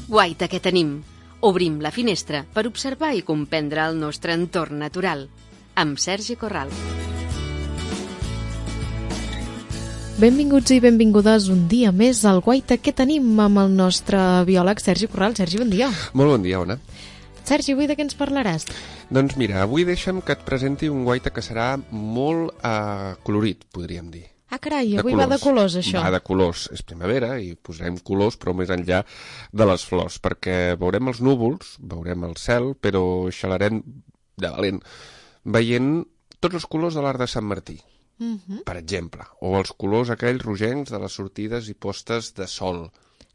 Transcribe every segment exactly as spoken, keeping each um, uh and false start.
Guaita que tenim. Obrim la finestra per observar i comprendre el nostre entorn natural. Amb Sergi Corral. Benvinguts i benvingudes un dia més al Guaita que tenim amb el nostre biòleg Sergi Corral. Sergi, bon dia. Molt bon dia, Ona. Sergi, avui de què ens parlaràs? Doncs mira, avui deixa'm que et presenti un guaita que serà molt uh, colorit, podríem dir. Ah, carai, avui va de colors, això. Va de colors. És primavera i posarem colors, però més enllà de les flors, perquè veurem els núvols, veurem el cel, però xalarem de valent, veient tots els colors de l'arc de Sant Martí. Uh-huh. Per exemple, o els colors aquells rogencs de les sortides i postes de sol.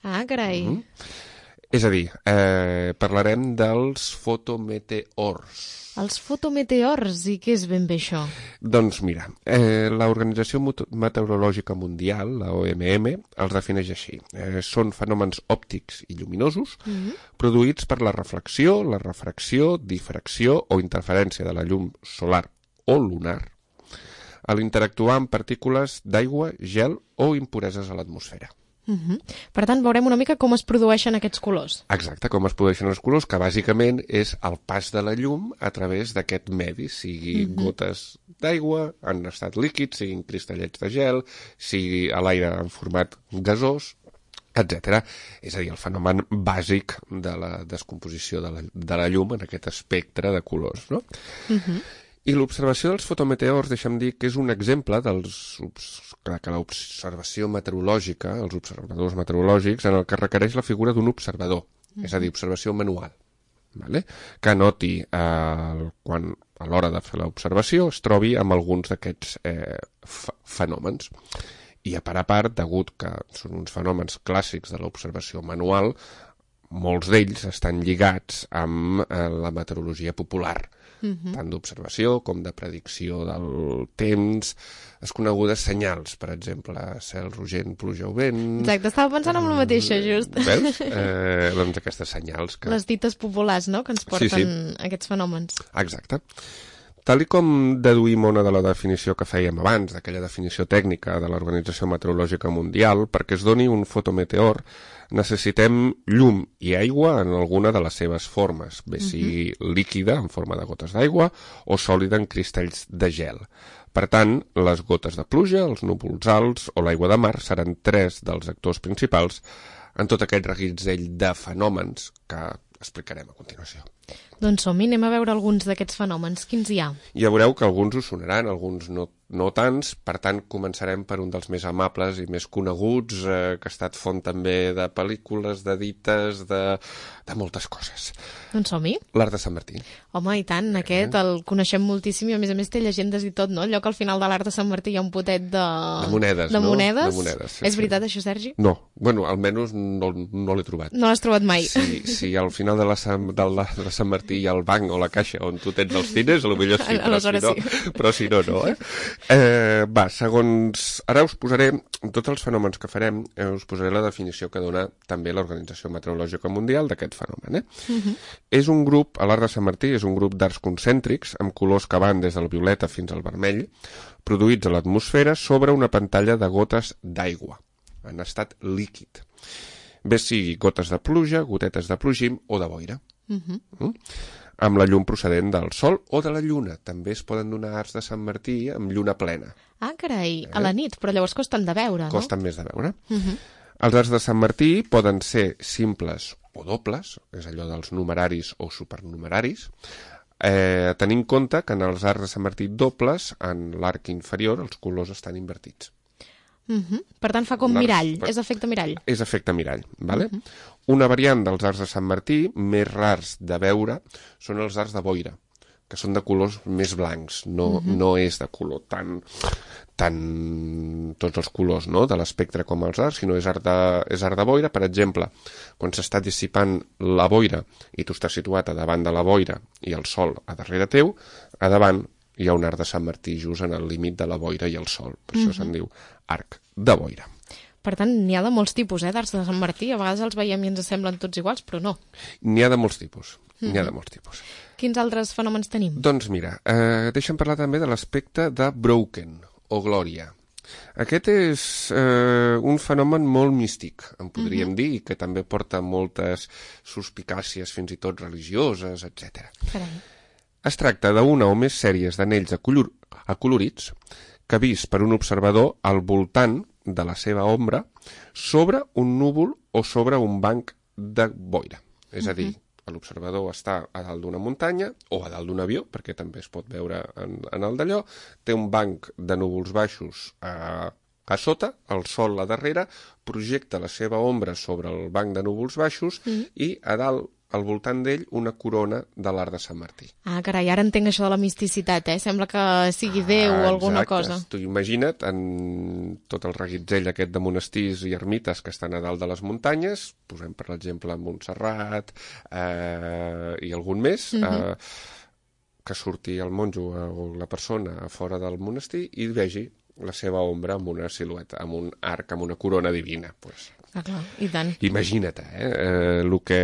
Ah, carai. Uh-huh. És a dir, eh, parlarem dels fotometeors. Els fotometeors, i què és ben bé això? Doncs mira, eh, l'Organització Meteorològica Mundial, la O M M, els defineix així. Eh, són fenòmens òptics i lluminosos uh-huh. produïts per la reflexió, la refracció, difracció o interferència de la llum solar o lunar a l'interactuar amb partícules d'aigua, gel o impureses a l'atmosfera. Uh-huh. Per tant, veurem una mica com es produeixen aquests colors. Exacte, com es produeixen els colors, que bàsicament és el pas de la llum a través d'aquest medi, sigui uh-huh. gotes d'aigua en estat líquid, siguin cristallets de gel, sigui a l'aire en format gasós, etcètera. És a dir, el fenomen bàsic de la descomposició de la, de la llum en aquest espectre de colors, no? Uh-huh. I l'observació dels fotometeors, deixa'm dir que és un exemple dels, que l'observació meteorològica, els observadors meteorològics, en el que requereix la figura d'un observador, mm. és a dir, observació manual, vale? Que noti eh, quan a l'hora de fer l'observació es trobi amb alguns d'aquests eh, fenòmens. I a part a part, degut que són uns fenòmens clàssics de l'observació manual, molts d'ells estan lligats amb eh, la meteorologia popular, Uh-huh. tant d'observació com de predicció del temps, les conegudes senyals, per exemple, cel rogent, pluja o vent... Exacte, estava pensant en la mateixa, just. Veus? Eh, doncs aquestes senyals que... Les dites populars, no?, que ens porten sí, sí. aquests fenòmens. Exacte. Tal i com deduïm una de la definició que fèiem abans, d'aquella definició tècnica de l'Organització Meteorològica Mundial, perquè es doni un fotometeor, necessitem llum i aigua en alguna de les seves formes, bé sigui uh-huh. líquida, en forma de gotes d'aigua, o sòlida en cristalls de gel. Per tant, les gotes de pluja, els núvols alts o l'aigua de mar seran tres dels actors principals en tot aquest reguitzell de fenòmens que explicarem a continuació. Doncs som-hi, anem a veure alguns d'aquests fenòmens. Quins hi ha? Ja veureu que alguns us sonaran, alguns no, no tants, per tant començarem per un dels més amables i més coneguts, eh, que ha estat font també de pel·lícules, de dites, de, de moltes coses. Doncs som-hi. L'arc de Sant Martí. Home, i tant, aquest el coneixem moltíssim i a més a més té llegendes i tot, no? Allò que al final de l'arc de Sant Martí hi ha un potet de... De monedes, de no? monedes. De monedes, sí, És veritat, sí. això, Sergi? No, bueno, almenys no, no l'he trobat. No l'has trobat mai. Si, si al final de la, de la de Sant Martí hi ha el banc o la caixa on tu tens els diners, potser sí, però si, no, sí. però si no, no, eh? eh? Va, segons... Ara us posaré, tots els fenòmens que farem, eh, us posaré la definició que dona també l'Organització Meteorològica Mundial d'aquest fenomen, eh? Uh-huh. És un grup, a l'arc de Sant Martí, és un grup d'arcs concèntrics amb colors que van des del violeta fins al vermell, produïts a l'atmosfera sobre una pantalla de gotes d'aigua, en estat líquid. Bé sigui gotes de pluja, gotetes de plogim o de boira. Uh-huh. Mm? Amb la llum procedent del sol o de la lluna. També es poden donar arcs de Sant Martí amb lluna plena. Ah, carai, eh? A la nit, però llavors costen de veure, no? Costen més de veure. Uh-huh. Els arcs de Sant Martí poden ser simples o dobles, és allò dels numeraris o supernumeraris, eh, tenint en compte que en els arcs de Sant Martí dobles, en l'arc inferior, els colors estan invertits. Uh-huh. Per tant, fa com mirall, és efecte mirall. És efecte mirall, vale? Uh-huh. Una variant dels arcs de Sant Martí, més rars de veure, són els arcs de boira, que són de colors més blancs, no, uh-huh. no és de color tan, tan tots els colors, no?, de l'espectre com els arcs, sinó és arc de, és arc de boira. Per exemple, quan s'està dissipant la boira i tu estàs situat a davant de la boira i el sol a darrere teu, a davant hi ha un arc de Sant Martí just en el límit de la boira i el sol. Per uh-huh. això se'n diu arc de boira. Per tant, n'hi ha de molts tipus, eh, d'arcs de Sant Martí. A vegades els veiem i ens semblen tots iguals, però no. N'hi ha de molts tipus. Mm-hmm. N'hi ha de molts tipus. Quins altres fenòmens tenim? Doncs mira, eh, deixa'm parlar també de l'aspecte de Broken, o glòria. Aquest és eh, un fenomen molt místic, en podríem uh-huh. dir, i que també porta moltes suspicàcies, fins i tot religioses, etcètera. Carai. Es tracta d'una o més sèries d'anells acolor acolorits que vist per un observador al voltant de la seva ombra sobre un núvol o sobre un banc de boira. És a dir, l'observador està a dalt d'una muntanya o a dalt d'un avió, perquè també es pot veure en, en el d'allò, té un banc de núvols baixos a, a sota, el sol a darrere, projecta la seva ombra sobre el banc de núvols baixos mm. i a dalt, al voltant d'ell, una corona de l'arc de Sant Martí. Ah, carai, ara entenc això de la misticitat, eh? Sembla que sigui Déu ah, o alguna cosa. Tu imagina't en tot el reguitzell aquest de monestirs i ermites que estan a dalt de les muntanyes, posem per exemple Montserrat eh, i algun més, mm-hmm. eh, que surti el monjo o la persona a fora del monestir i vegi la seva ombra amb una silueta, amb un arc, amb una corona divina. Pues, ah, clar, i tant. Imagina't, eh? eh el que...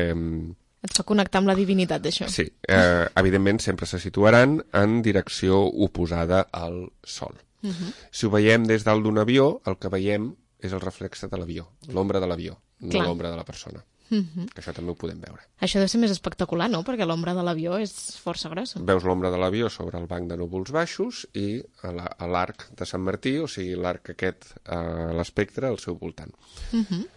Et fa connectar amb la divinitat, d'això. Sí, eh, evidentment sempre se situaran en direcció oposada al sol. Uh-huh. Si ho veiem des dalt d'un avió, el que veiem és el reflexe de l'avió, l'ombra de l'avió, no l'ombra de la persona. Uh-huh. Que això també ho podem veure. Això deu ser més espectacular, no? Perquè l'ombra de l'avió és força grossa. Veus l'ombra de l'avió sobre el banc de núvols baixos i a l'arc de Sant Martí, o sigui, l'arc aquest a l'espectre al seu voltant. Uh-huh.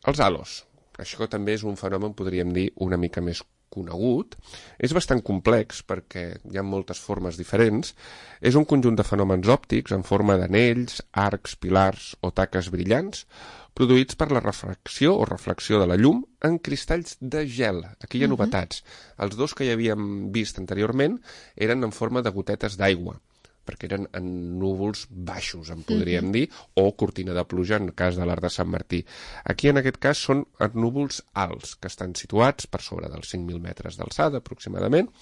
Els halos. Això també és un fenomen, podríem dir, una mica més conegut. És bastant complex perquè hi ha moltes formes diferents. És un conjunt de fenòmens òptics en forma d'anells, arcs, pilars o taques brillants, produïts per la refracció o reflexió de la llum en cristalls de gel. Aquí hi ha novetats. Uh-huh. Els dos que hi havíem vist anteriorment eren en forma de gotetes d'aigua, perquè eren en núvols baixos, en podríem uh-huh. dir, o cortina de pluja en cas de l'arc de Sant Martí. Aquí, en aquest cas, són núvols alts, que estan situats per sobre dels cinc mil metres d'alçada, aproximadament,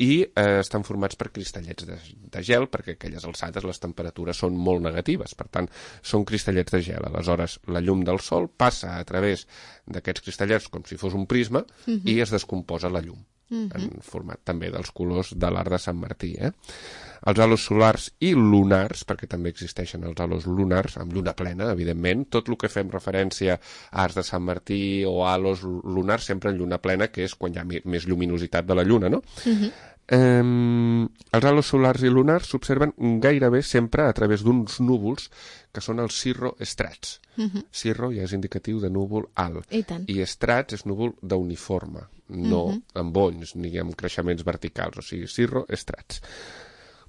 i eh, estan formats per cristallets de, de gel, perquè a aquelles alçades les temperatures són molt negatives, per tant, són cristallets de gel. Aleshores, la llum del sol passa a través d'aquests cristallets com si fos un prisma uh-huh. i es descomposa la llum, uh-huh. en format també dels colors de l'arc de Sant Martí, eh? Els halos solars i lunars, perquè també existeixen els halos lunars, amb lluna plena, evidentment. Tot el que fem referència a arcs de Sant Martí o halos lunars, sempre en lluna plena, que és quan hi ha més lluminositat de la lluna, no? Uh-huh. eh, els halos solars i lunars s'observen gairebé sempre a través d'uns núvols que són els cirroestrats. Uh-huh. Cirro ja és indicatiu de núvol alt. I tant. I estrats és núvol d'uniforme, no uh-huh. amb bonys ni amb creixements verticals, o sigui, cirroestrats.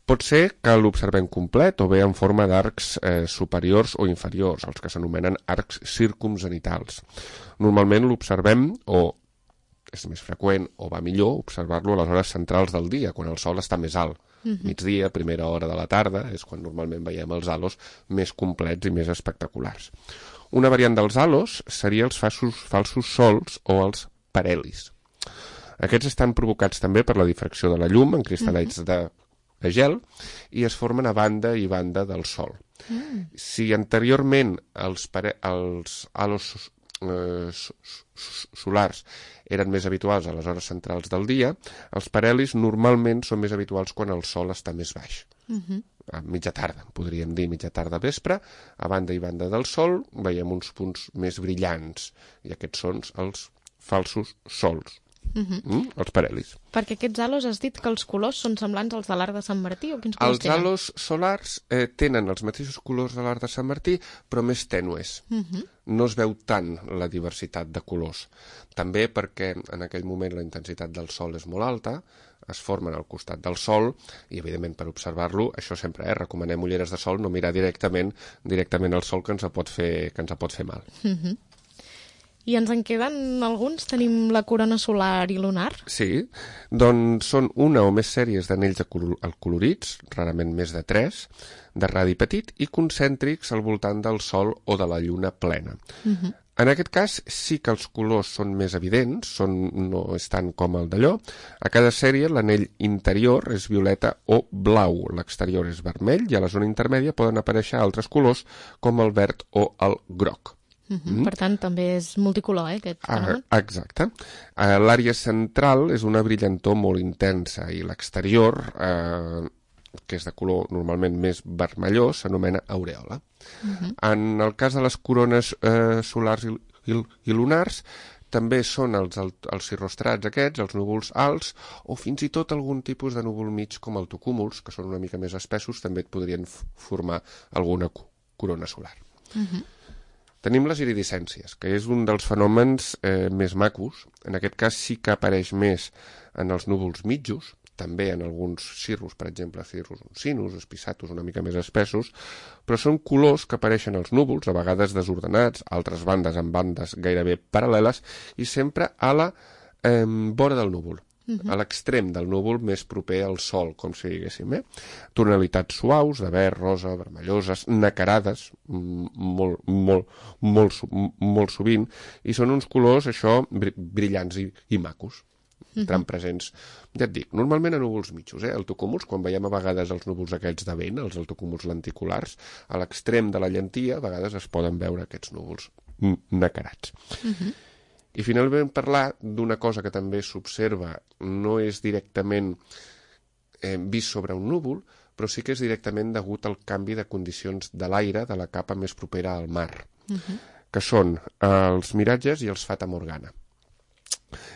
Pot ser que l'observem complet o bé en forma d'arcs eh, superiors o inferiors, els que s'anomenen arcs circumzenitals. Normalment l'observem, o és més freqüent o va millor, observar-lo a les hores centrals del dia, quan el sol està més alt. Uh-huh. Migdia, primera hora de la tarda, és quan normalment veiem els halos més complets i més espectaculars. Una variant dels halos seria els falsos, falsos sols o els parhelis. Aquests estan provocats també per la difracció de la llum en cristal·lets uh-huh. de de gel i es formen a banda i banda del sol. Mm. Si anteriorment els, pare... els halos eh, solars eren més habituals a les hores centrals del dia, els parhelis normalment són més habituals quan el sol està més baix. Mm-hmm. A mitja tarda, podríem dir mitja tarda vespre, a banda i banda del sol veiem uns punts més brillants i aquests són els falsos sols. Uh-huh. Mm, els parhelis. Perquè aquests halos has dit que els colors són semblants als de l'arc de Sant Martí o quins colors els tenen? Els halos solars eh, tenen els mateixos colors de l'arc de Sant Martí però més tènues. Uh-huh. No es veu tant la diversitat de colors. També perquè en aquell moment la intensitat del sol és molt alta, es formen al costat del sol i evidentment per observar-lo, això sempre, eh, recomanem ulleres de sol, no mirar directament directament al sol que ens pot fer, que ens pot fer mal. Uh-huh. I ens en queden alguns? Tenim la corona solar i lunar? Sí, doncs són una o més sèries d'anells acolorits, rarament més de tres, de radi petit i concèntrics al voltant del Sol o de la Lluna plena. Uh-huh. En aquest cas sí que els colors són més evidents, són, no és tant com el d'allò. A cada sèrie l'anell interior és violeta o blau, l'exterior és vermell i a la zona intermèdia poden aparèixer altres colors com el verd o el groc. Uh-huh. Mm. Per tant, també és multicolor, eh, aquest fenomen. Ah, exacte. Uh, l'àrea central és una brillantor molt intensa i l'exterior, uh, que és de color normalment més vermellós, s'anomena aureola. Uh-huh. En el cas de les corones eh, solars i, i, i lunars, també són els, els cirrostrats aquests, els núvols alts, o fins i tot algun tipus de núvol mig com el tocúmuls, que són una mica més espessos, també et podrien formar alguna corona solar. Uh-huh. Tenim les iridescències, que és un dels fenòmens eh, més macos. En aquest cas sí que apareix més en els núvols mitjos, també en alguns cirrus, per exemple, cirrus uncinus, espisatus una mica més espessos, però són colors que apareixen als núvols, a vegades desordenats, altres bandes en bandes gairebé paral·leles, i sempre a la eh, vora del núvol, uh-huh. a l'extrem del núvol més proper al sol, com si diguéssim. Eh? Tonalitats suaus, de verd, rosa, vermelloses, nacarades, molt, molt, molt, molt sovint, i són uns colors, això, brillants i, i macos. Estan presents, ja et dic, normalment a núvols mitjos, eh? El tocúmuls, quan veiem a vegades els núvols aquests de vent, els altocúmuls lenticulars, a l'extrem de la llentia, a vegades es poden veure aquests núvols nacarats. Uh-huh. I finalment parlar d'una cosa que també s'observa, no és directament eh, vist sobre un núvol, però sí que és directament degut al canvi de condicions de l'aire de la capa més propera al mar, uh-huh. que són els miratges i els fata morgana.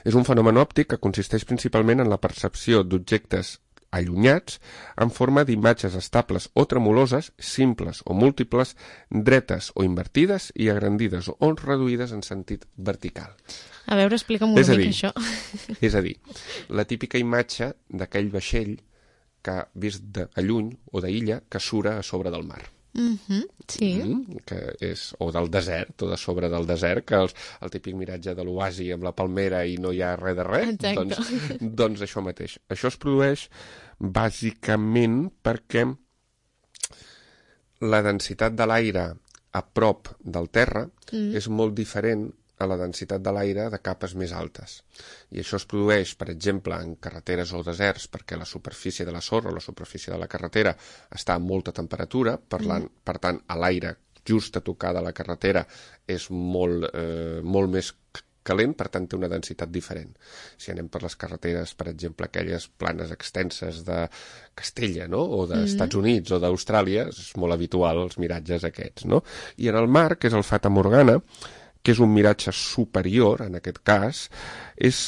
És un fenomen òptic que consisteix principalment en la percepció d'objectes allunyats en forma d'imatges estables o tremoloses, simples o múltiples, dretes o invertides i agrandides o reduïdes en sentit vertical. A veure, explica'm una mica això. És a dir, la típica imatge d'aquell vaixell que, vist de lluny o d'illa, que sura a sobre del mar. Mm-hmm, sí. Mm, que és, o del desert, o de sobre del desert, que els, el típic miratge de l'oasi amb la palmera i no hi ha res de res, doncs, doncs això mateix. Això es produeix bàsicament perquè la densitat de l'aire a prop del terra mm. és molt diferent a la densitat de l'aire de capes més altes. I això es produeix, per exemple, en carreteres o deserts, perquè la superfície de la sorra o la superfície de la carretera està a molta temperatura, per, mm. per tant, a l'aire just a tocar de la carretera és molt, eh, molt més calent, per tant té una densitat diferent. Si anem per les carreteres, per exemple, aquelles planes extenses de Castella, no? O dels Estats mm. Units o d'Austràlia, és molt habitual els miratges aquests, no? I en el mar, que és el Fata Morgana, que és un miratge superior, en aquest cas, és,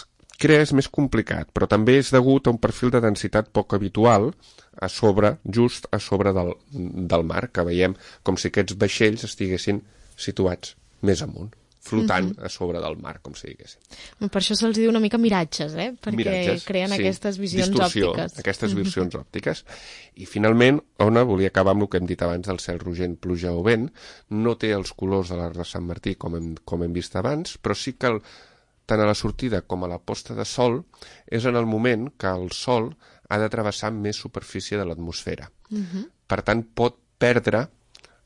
crea és més complicat, però també és degut a un perfil de densitat poc habitual a sobre, just a sobre del, del mar, que veiem com si aquests vaixells estiguessin situats més amunt, flotant mm-hmm. a sobre del mar, com si diguéssim. Per això se'ls diu una mica miratges, eh? Perquè miratges, creen sí. aquestes visions Distorsió, òptiques. aquestes mm-hmm. visions òptiques. I finalment, Ona, volia acabar amb el que hem dit abans del cel rogent, pluja o vent. No té els colors de l'arc de Sant Martí, com hem, com hem vist abans, però sí que el, tant a la sortida com a la posta de sol és en el moment que el sol ha de travessar més superfície de l'atmosfera. Mm-hmm. Per tant, pot perdre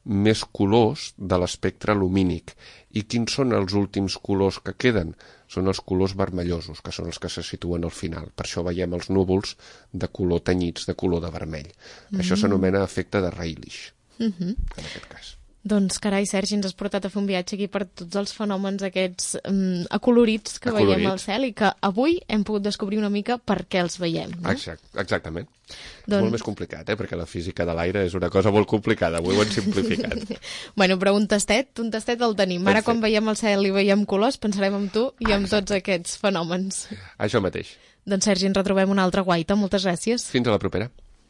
més colors de l'espectre lumínic. I quins són els últims colors que queden? Són els colors vermellosos, que són els que se situen al final. Per això veiem els núvols de color tenyits, de color de vermell. Mm-hmm. Això s'anomena efecte de Rayleigh, mm-hmm. en aquest cas. Doncs, carai, Sergi, ens has portat a fer un viatge aquí per tots els fenòmens aquests um, acolorits que Acolorit. veiem al cel i que avui hem pogut descobrir una mica per què els veiem. No? Exact, exactament. Doncs... molt més complicat, eh? Perquè la física de l'aire és una cosa molt complicada. Avui ho hem simplificat. Bueno, però un tastet, un tastet el tenim. Ara, Perfecte. Quan veiem el cel i veiem colors, pensarem en tu i en tots aquests fenòmens. Això mateix. Doncs, Sergi, ens retrobem una altra guaita. Moltes gràcies. Fins a la propera.